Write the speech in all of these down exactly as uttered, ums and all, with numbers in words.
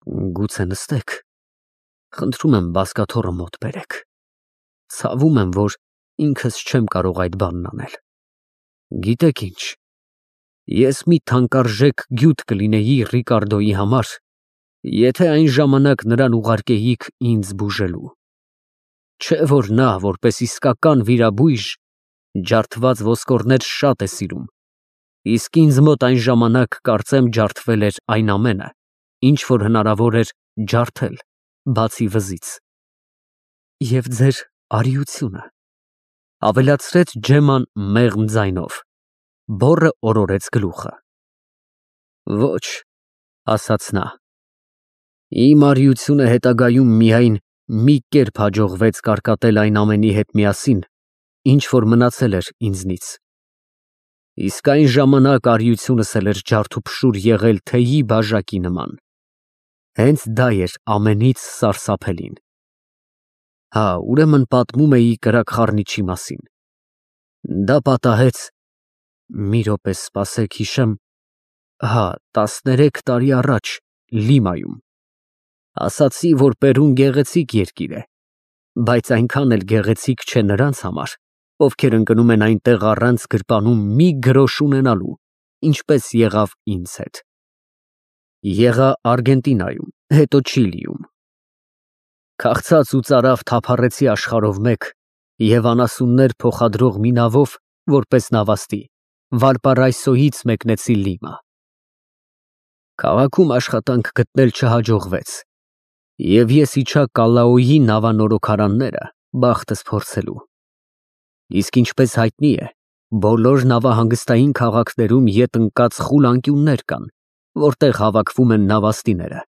Գուցե նստեք, խնդրում եմ բազկաթոռը մոտ բերեք, ցավում եմ, որ ինքս չեմ կարող այդ բանն անել, գիտեք ինչ, ես մի թանկարժեք գյուտ կլինեի Ռիկարդոյի համար, եթե այն ժամանակ նրան ուղարկեիք ինձ բուժելու, չէ որ նա, որպես իսկական վիրաբույժ, ջարդված ոսկորներ շատ է սիրում, իսկ ինձ մոտ այն ժամանակ կարծեմ ջարդվել էր այն ամենը, ինչ որ հնարավոր էր ջարդել, բացի վզից։ Եվ ձեր արիությունը, ավելացրեց Ջեման մեղմ ձայնով, բոռը օրորեց գլուխը։ Ոչ, ասաց նա, իմ արիությունը հետագայում միայն մի կերպ հաջողվեց կարկատել այն ամենի հետ միասին, ինչ որ մնացել էր ինձնից։ Իսկ այն ժամանակ արիությունս էլ էր ջարդուփշուր եղել թեյի բաժակի նման։ Հենց դա էր ամենից սարսափելին։ Հա, ուրեմն պատմում էի կրակ խառնիչի մասին։ Դա պատահեց, մի րոպե սպասեք հիշեմ, հա, տասներեք տարի առաջ Լիմայում։ Ասացի, որ Պերուն գեղեցիկ երկիր է, բայց այնքան էլ գեղեցիկ չէ նրանց համար, ովքեր ընկնում են այնտեղ առանց գրպանում մի գրոշ ունենալու, ինչպես եղավ ինձ հետ։ Եղա Արգենտինայում, հետո Չիլիում։ Քաղցած ու ծարավ թափառեցի աշխարհով մեկ և անասուններ փոխադրող մի նավով, որպես նավաստի, Վալպարայսոյից մեկնեցի Լիմա։ Քաղաքում աշխատանք գտնել չհաջողվեց, և ես իջա Կալաոյի նավանորոգարանները բախտս փորձելու։ Իսկ ինչպես հայտնի է, բոլոր նավահանգստային քաղաքներում ետ ընկած խուլ անկյուններ կան, որտեղ հավաքվում են նավաստիները,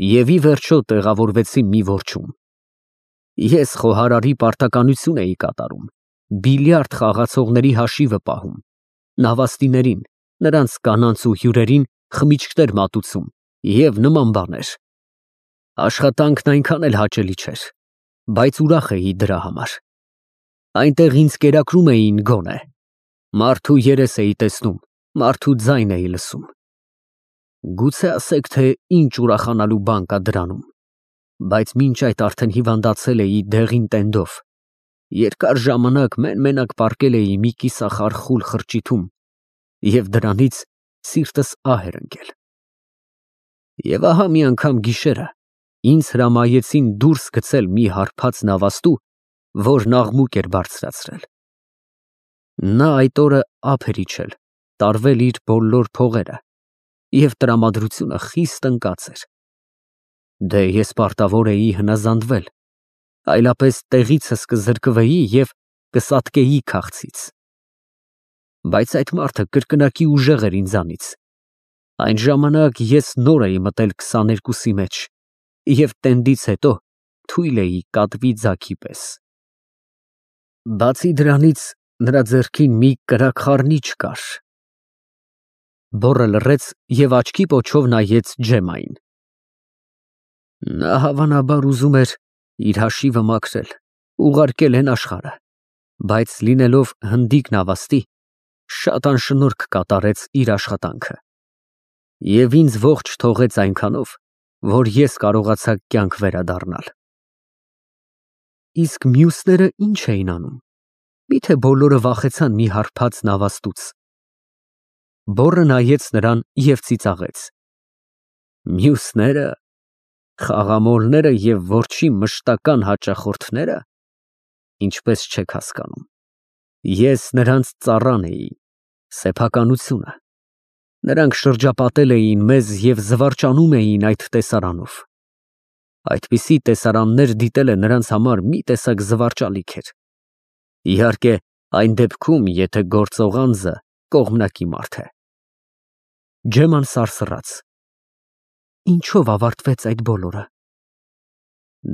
և ի վերջո տեղավորվեցի մի որջում։ Ես խոհարարի պարտականություն էի կատարում, բիլիարդ խաղացողների հաշիվը պահում, նավաստիներին, նրանց կանանց ու հյուրերին խմիչքներ մատուցում և նման բաներ։ Աշխատանքն այնքան էլ հաճելի չէր, բայց ուրախ էի դրա համար։ Այնտեղ ինձ կերակրում էին գոնե, մարդու երես էի տեսնում, մարդու ձայն էի լսում։ Գուցե ասեք, թե ինչ ուրախանալու բան կա դրանում, բայց մինչ այդ արդեն հիվանդացել էի դեղին տենդով, երկար ժամանակ մեն֊մենակ պառկել էի մի կիսախառ խուլ խրճիթում և դրանից սիրտս ահ էր ընկել։ Եվ ահա մի անգամ գիշերը ինձ հրամայեցին դուրս գցել մի հարբած նավաստու, որն աղմուկ էր բարձրացրել։ Նա այդ օրը ափ էր իջել, տարվել իր բոլոր փողերը, և տրամադրությունը խիստ ընկած էր։ Դե ես պարտավոր էի հնազանդվել, այլապես տեղիցս կզրկվեի և կսատկեի քաղցից։ Բայց այդ մարդը կրկնակի ուժեղ էր ինձանից։ Այն ժամանակ ես նոր էի մտել քսաներկուսի մեջ և տենդից հետո թույլ էի կատվի ձագի պես։ Բացի դրանից նրա ձեռքին մի կրակ խառնիչ կար։ Բոռը լռեց և աչքի պոչով նայեց Ջեմային։ Նա հավանաբար ուզում էր իր հաշիվը մաքրել, ուղարկել են աշխարհը, բայց լինելով հնդիկ նավաստի, շատ անշնորհք կատարեց իր աշխատանքը և ինձ ողջ թողեց այնքանով, որ ես կարողացա կյանք վերադառնալ։ Իսկ մյուսները ի՞նչ էին անում, միթե բոլորը վախեցան մի հարբած նավաստուց։ Բոռը նայեց նրան և ծիծաղեց։ Մյուսնե՞րը, խաղամոլները և որջի մշտական հաճախորդնե՞րը, ինչպես չեք հասկանում, ես նրանց ծառան էի, սեփականությունը, նրանք շրջապատել էին մեզ և զվարճանում էին այդ տեսարանով։ Այդպիսի տեսարաններ դիտելը նրանց համար մի տեսակ զվարճալիք էր։ Իհարկե, այն դեպքում, եթե գործող անձը կողմնակի մարդ է։ Ջեման սարսռաց։ Ինչո՞վ ավարտվեց այդ բոլորը։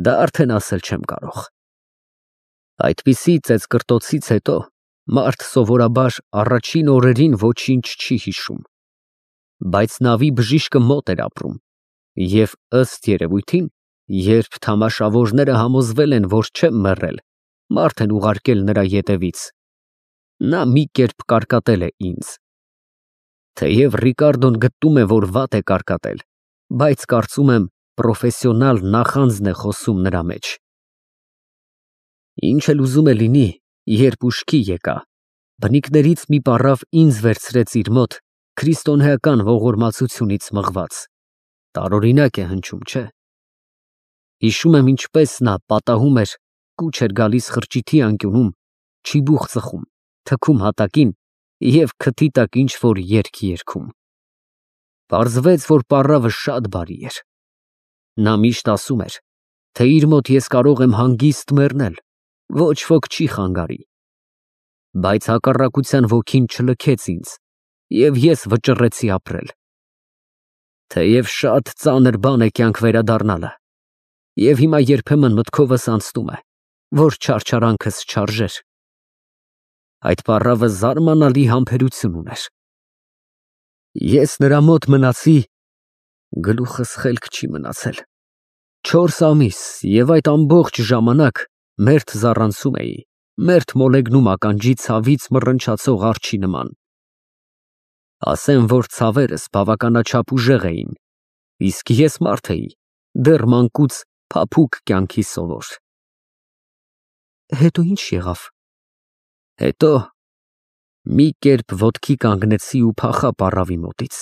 Դա արդեն ասել չեմ կարող։ Այդպիսի ծեծկռտոցից հետո մարդ սովորաբար առաջին օրերին ոչինչ չի հիշում, բայց նավի բժիշկը մոտ էր ապրում, և ըստ երևույթին, երբ թամաշավորները համոզվել են, որ չեմ մեռել, մարդ են ուղարկել նրա ետևից, նա մի կերպ կարկատել է ինձ։ Թեև Ռիկարդոն գտնում է, որ վատ է կարկատել, բայց կարծում եմ, պրոֆեսիոնալ նախանձն է խոսում նրա մեջ։ Ինչ էլ ուզում է լինի, երբ ուշքի եկա, բնիկներից մի պառավ ինձ վերցրեց իր մոտ քրիստոնեական ողորմածությունից մղված, տարօրինակ է հնչում, չէ՞։ Հիշում եմ ինչպես նա պատահում էր, կուչ էր գալիս խրճիթի անկյունում, չիբուխ ծխում, թքում հատակին և քթի տակ ինչ-որ երգ երգում։ Պարզվեց, որ պառավը շատ բարի էր։ Նա միշտ ասում էր, թե իր մոտ ես կարող եմ հանգիստ մեռնել, ոչ ոք չի խանգարի։ Բայց հակառակության ոգին չլքեց ինձ, և ես վճռեցի ապրել։ Թեև շատ ծանր բան է կյանք վերադառնալը, և հիմա երբեմն մտքովս անցնում է, որ չարչարանքս չարժեր։ Այդ պառավը զարմանալի համբերություն ուներ։ Ես նրա մոտ մնացի, գլուխս խելք չի մնացել, չորս ամիս և այդ ամբողջ ժամանակ մերթ զառանցում էի, մերթ մոլեգնում ականջի ցավից մռնչացող արջի նման։ Ասեմ, որ ցավերս բավականաչափ ուժեղ էին, իսկ ես մարդ էի, դեռ մանկուց փափուկ կյանքի սովոր։ Հետո ինչ եղավ։ Հետո մի կերպ ոտքի կանգնեցի ու փախա պառավի մոտից։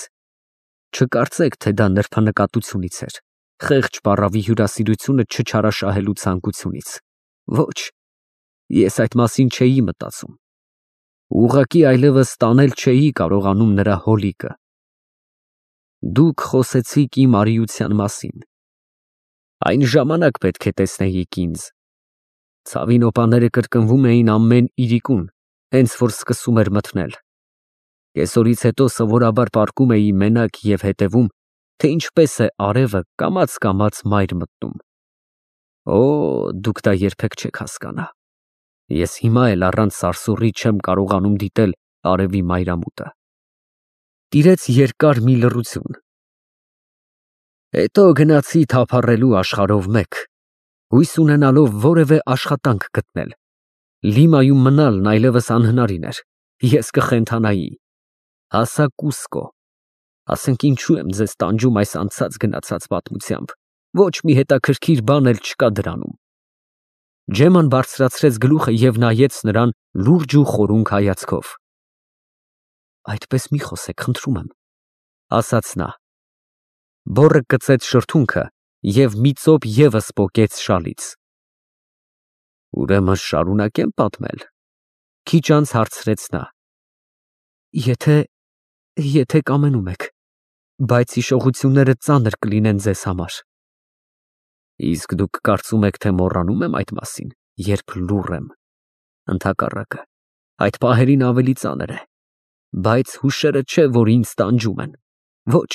Չկարծեք, թե դա նրբանկատությունից էր, խեղճ պառավի հյուրասիրությունը չչարաշահելու ցանկությունից։ Ոչ, ես այդ մասին չէի մտածում։ Ուղղակի այլևս տանել չէի կարողանում նրա հոլիկը։ Դուք խոսեցիք իմ արիության մասին։ Այն ժամանակ պետք է տեսնեիք ինձ։ Ցավի նոպաները կրկնվում էին ամեն իրիկուն, հենց որ սկսում էր մթնել։ Կեսօրից հետո սովորաբար պառկում էի մենակ և հետևում, թե ինչպես է արևը կամաց֊կամաց մայր մտնում։ Օ, դուք դա երբեք չեք հասկանա։ Ես հիմա էլ առանց սարսուռի չեմ կարողանում դիտել արևի մայրամուտը։ Տիրեց երկար մի լռություն։ Հետո գնացի թափառելու աշխարհով մեկ, հույս ունենալով որևէ աշխատանք գտնել։ Լիմայում մնալն այլևս անհնարին էր, ես կխենթանայի։ Հասա Կուսկո։ Ասենք ինչու եմ ձեզ տանջում այս անցած գնացած պատմությամբ, ոչ մի հետաքրքիր բան էլ չկա դրանում։ Ջեման բարձրացրեց գլուխը և նայեց նրան լուրջ ու խորունկ հայացքով։ Այդպես մի խոսեք, խնդրում եմ, ասաց նա։ Բոռը կծեց շրթունքը և մի ծոպ ևս պոկեց շալից։ Ուրեմն շարունակեմ պատմել, քիչ անց հարցրեց նա։ Եթե, եթե կամենում եք, բայց հիշողությունները ծանր կլինեն ձեզ համար։ Իսկ դուք կարծում եք, թե մոռանում եմ այդ մասին, երբ լուռ եմ։ Ընդհակառակը, այդ պահերին ավելի ծանր է, բայց հուշերը չէ, որ ինձ տանջում են։ Ոչ,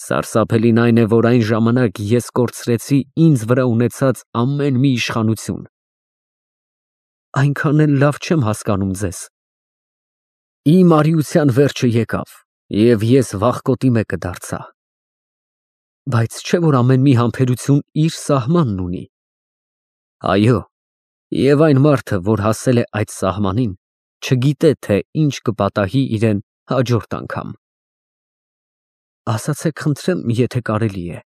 սարսափելին այն է, որ այն ժամանակ ես կորցրեցի ինձ վրա ունեցած ամեն մի իշխանություն։ Այնքան էլ լավ չեմ հասկանում ձեզ։ Իմ արիության վերջը եկավ, և ես վախկոտի մեկը դարձա։ Բայց չէ՞ որ ամեն մի համբերություն իր սահմանն ունի։ Այո, և այն մարդը, որ հասել է այդ սահմանին, չգիտե, թե ինչ կպատահի իրեն հաջորդ անգամ։ Ասացեք, խնդրեմ, եթե կարելի է,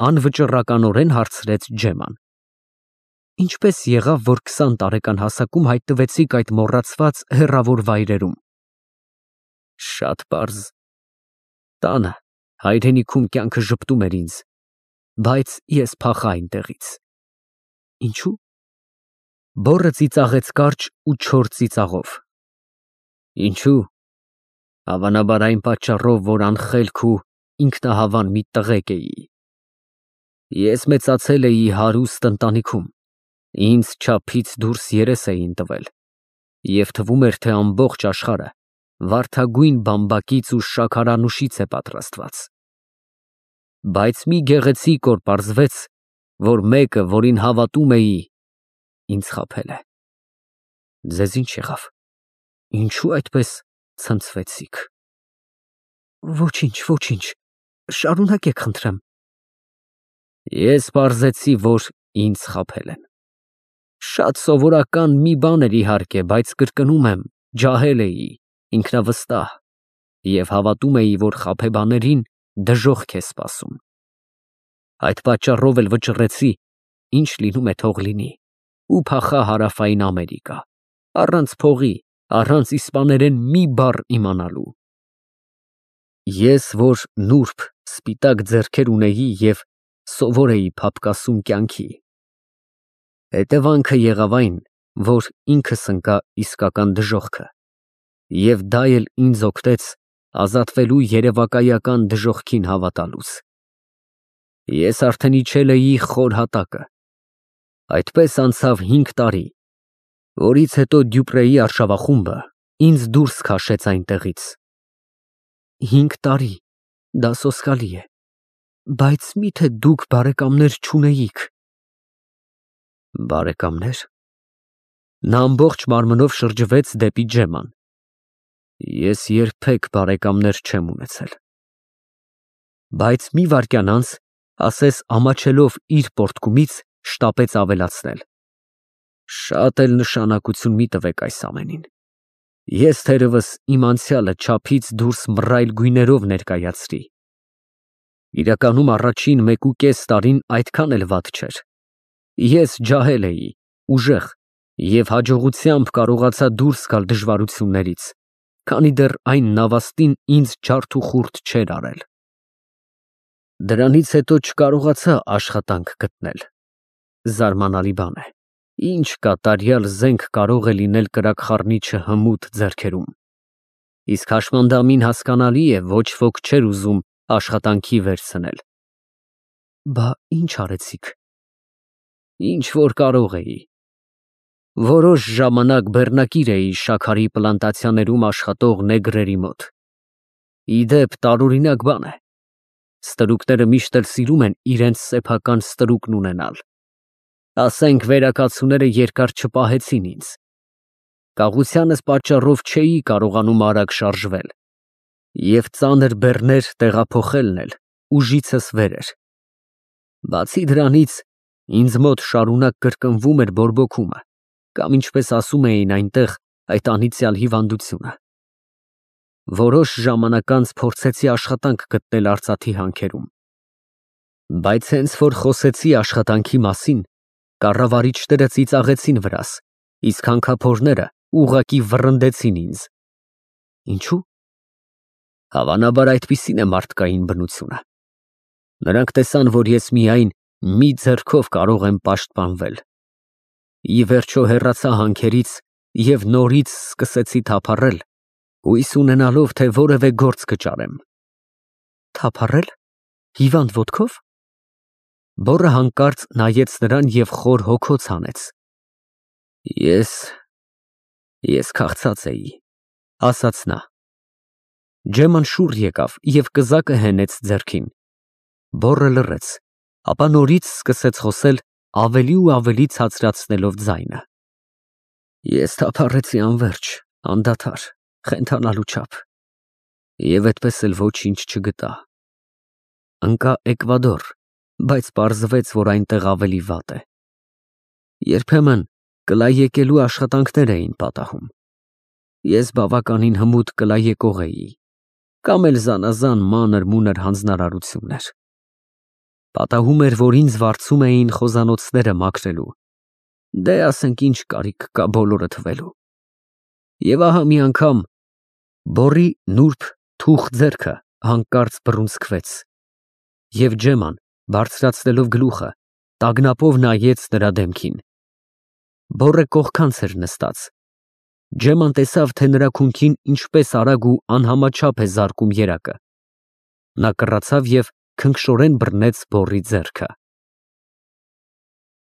անվճռականորեն հարցրեց Ջեման։ Ինչպես եղավ, որ քսան տարեկան հասակում հայտնվեցիք այդ մոռացված հեռավոր վայրերում։ Շատ պարզ։ Տանը, հայրենիքում կյանքը ժպտում էր ինձ, բայց ես փախա այնտեղից։ Ինչու՞։ Բոռը ծիծաղեց կարճ ու չոր ծիծաղով։ Ինչու՞։ Հավանաբար այն պատճառով, որ անխելք ու ինքնահավան մի տղեկ էի։ Ես մեծացել էի հարուստ ընտանիքում, ինձ չափից դուրս երես էին տվել, և թվում էր, թե ամբողջ աշխարհը վարդագույն բամբակից ու շաքարանուշից է պատրաստված։ Բայց մի գեղեցիկ օր պարզվեց, որ մեկը, որին հավատում էի, ինձ խաբել է։ Ձեզ ինչ եղավ։ Ինչու այդպես ցնցվեցիք։ Ոչինչ, ոչինչ, շարունակեք, խնդրեմ։ Ես պարզեցի, որ ինձ խաբել են։ Շատ սովորական մի բան էր իհարկե, բայց կրկնում եմ, ջահել էի, ինքնավստահ և հավատում էի, որ խաբեբաներին դժոխք է սպասում։ Այդ պատճառով էլ վճռեցի, ինչ լինում է թող լինի, ու փախա Հարավային Ամերիկա, առանց փողի, առանց իսպաներեն մի բառ իմանալու։ Ես, որ նուրբ, սպիտակ ձեռքեր ունեի և սովոր էի փափկասում կյանքի, հետևանքը եղավ այն, որ ինքս ընկա իսկական դժոխքը, և դա էլ ինձ օգնեց ազատվելու երևակայական դժոխքին հավատալուց։ Ես արդեն իջել էի խոր հատակը։ Այդպես անցավ հինգ տարի, որից հետո Դյուպրեի արշավախումբը ինձ դուրս քաշեց այնտեղից։ Հինգ տարի, դա սոսկալի է, բայց մի՞թե դուք բարեկամներ չունեիք։ Բարեկամներ։ Նա ամբողջ մարմնով շրջվեց դեպի Ջեման։ Ես երբեք բարեկամներ չեմ ունեցել։ Բայց մի վայրկյան անց, ասես ամաչելով իր պոռթկումից, շտապեց ավելացնել. Շատ էլ նշանակություն մի տվեք այս ամենին։ Ես թերևս իմ անցյալը չափից դուրս մռայլ գույներով ներկայացրի։ Իրականում առաջին մեկուկես տարին այդքան էլ վատ չէր։ Ես ջահել էի, ուժեղ, և հաջողությամբ կարողացա դուրս գալ դժվարություններից, քանի դեռ այն նավաստին ինձ ջարդ ու խուրդ չէր արել։ Դրանից հետո չկարողացա աշխատանք գտնել։ Զարմանալի բան է, ինչ կատարյալ զենք կարող է լինել կրակխառնիչը հմուտ ձեռքերում։ Իսկ հաշմանդամին հասկանալի է, ոչ ոք չէր ուզում աշխատանքի վերցնել։ Բա ի՞նչ արեցիք։ Ինչ որ կարող էի։ Որոշ ժամանակ բեռնակիր էի շաքարի պլանտացիաներում աշխատող նեգրերի մոտ։ Ի դեպ, տարօրինակ բան է։ Ստրուկները միշտ էլ սիրում են իրենց սեփական ստրուկն ունենալ։ Ասենք, վերակացուները երկար չպահեցին ինձ։ Կաղությանս պատճառով չէի կարողանում արագ շարժվել, և ծանր բեռներ տեղափոխելն էլ ուժիցս վեր էր։ Բացի դրանից, ինձ մոտ շարունակ կրկնվում էր բորբոքումը, կամ ինչպես ասում էին այնտեղ, այդ անիծյալ հիվանդությունը։ Որոշ ժամանակ անց փորձեցի աշխատանք գտնել արծաթի հանքերում։ Բայց հենց որ խոսեցի աշխատանքի մասին, կառավարիչները ծիծաղեցին վրաս, իսկ հանքափորները ուղղակի վռնդեցին ինձ։ Ինչու՞։ Հավանաբար այդպիսին է մարդկային բնությունը։ Նրանք տեսան, որ ես միայն մի ձեռքով կարող եմ պաշտպանվել։ Ի վերջո հեռացա հանքերից և նորից սկսեցի թափառել, հույս ունենալով, թե որևէ գործ կճարեմ։ Թափառել։ Հիվանդ ոտքով։ Բոռը հանկարծ նայեց նրան և խոր հոգոց հանեց։ Ես… ես քաղցած էի, ասաց նա։ Ջեման շուռ եկավ և կզակը հենեց ձեռքին։ Բոռը լռեց, ապա նորից սկսեց խոսել ավելի ու ավելի ցածրացնելով ձայնը։ Ես թափառեցի անվերջ, անդադար, խենթանալու չափ, և այդպես էլ ոչինչ չգտա։ Ընկա Էկվադոր, բայց պարզվեց, որ այնտեղ ավելի վատ է։ Երբեմն կլայեկելու աշխատանքներ էին պատահում։ Ես բավականին հմուտ կլայեկող էի, կամ էլ զանազան մանր-մունր հանձնարարություններ։ Պատահում էր, որ ինձ վարձում էին խոզանոցները մաքրելու։ Դե, ասենք, ինչ կարիք կա բոլորը թվելու։ Եվ ահա մի անգամ բոռի նուրբ թուխ ձեռքը հանկարծ բռունցքվեց, և Ջեման, բարձրացնելով գլուխը, տագնապով նայեց նրա դեմքին։ Բոռը կողքանց էր նստած։ Ջեման տեսավ, թե նրա քունքին ինչպես արագ ու անհամաչափ է զարկում երակը։ Նա կռացավ և քնքշորեն բռնեց բոռի ձեռքը։